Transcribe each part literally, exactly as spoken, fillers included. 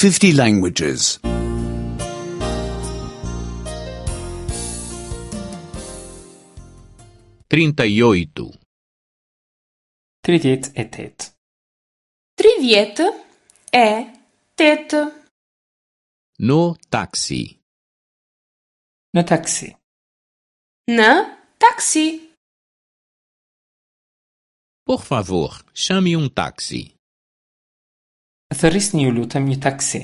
fifty languages. trinta e oito, Tridhjetë e tetë. Tridhjetë e tetë. No táxi. Në taksi. Në taksi. Por favor, chame um táxi. Thërrisni ju lutem një taksi.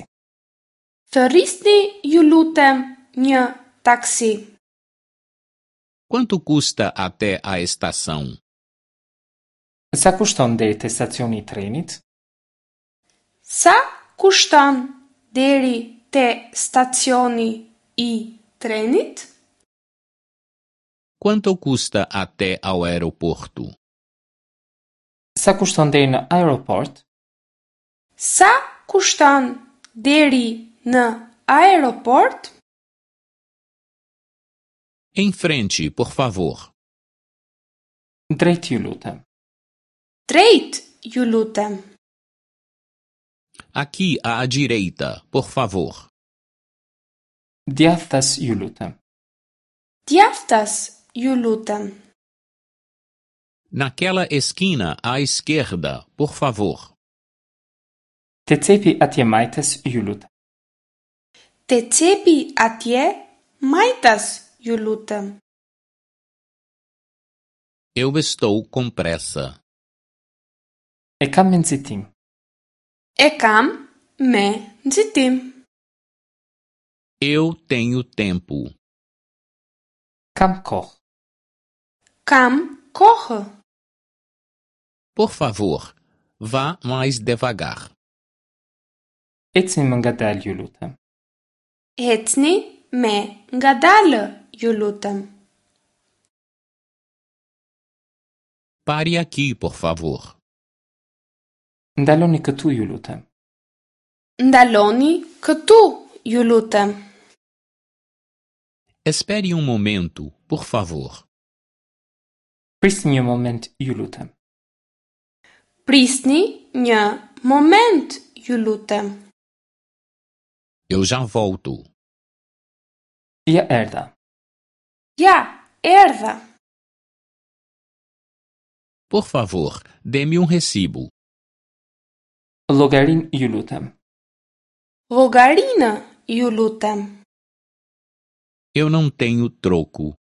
Thërrisni ju lutem një taksi. Quanto custa até a estação? Sa kushton deri te stacioni i trenit? Sa kushton deri te stacioni i trenit? Quanto custa até ao aeroporto? Sa kushton deri në aeroport? Sa kushton deri në aeroport? Em frente, por favor. Drejt ju lutem. Drejt ju lutem. Aqui à direita, por favor. Djathtas ju lutem. Djathtas ju lutem. Naquela esquina à esquerda, por favor. Te cepi atje majtas ju lutem. Te cepi atje majtas ju lutem. Eu estou com pressa. E kam me nxitim. E kam me nxitim. Eu tenho tempo. Kam kohë. Kam kohë. Por favor, vá mais devagar. Ecni më ngadalë ju lutem. Ecni me ngadalë ju lutem. Pare aqui, por favor. Ndaloni këtu ju lutem. Ndaloni këtu ju lutem. Espere um momento, por favor. Prisni një moment ju lutem. Prisni një moment ju lutem. Eu já volto. Ja erdha. Ja, erdha. Por favor, dê-me um recibo. Llogarin ju lutem. Llogarinë ju lutem. Eu não tenho troco.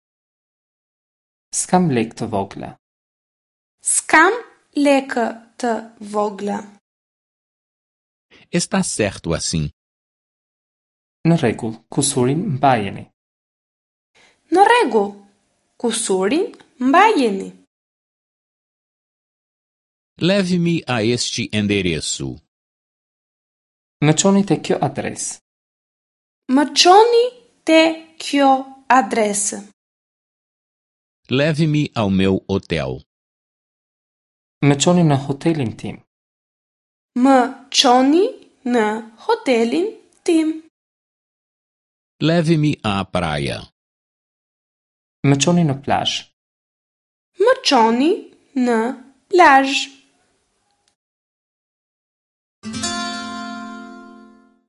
S'kam lek të vogla. S'kam lekë të vogla. Está certo assim. Në rregull, kusurin mbajeni. Në rregull, kusurin mbajeni. Leve-me a este endereço. Më çoni te kjo adresë. Më çoni te kjo adresë. Leve-me ao meu hotel. Më çoni në hotelin tim. Më çoni në hotelin tim. Leve-me à praia. Më çoni në plazh. Më çoni në plazh.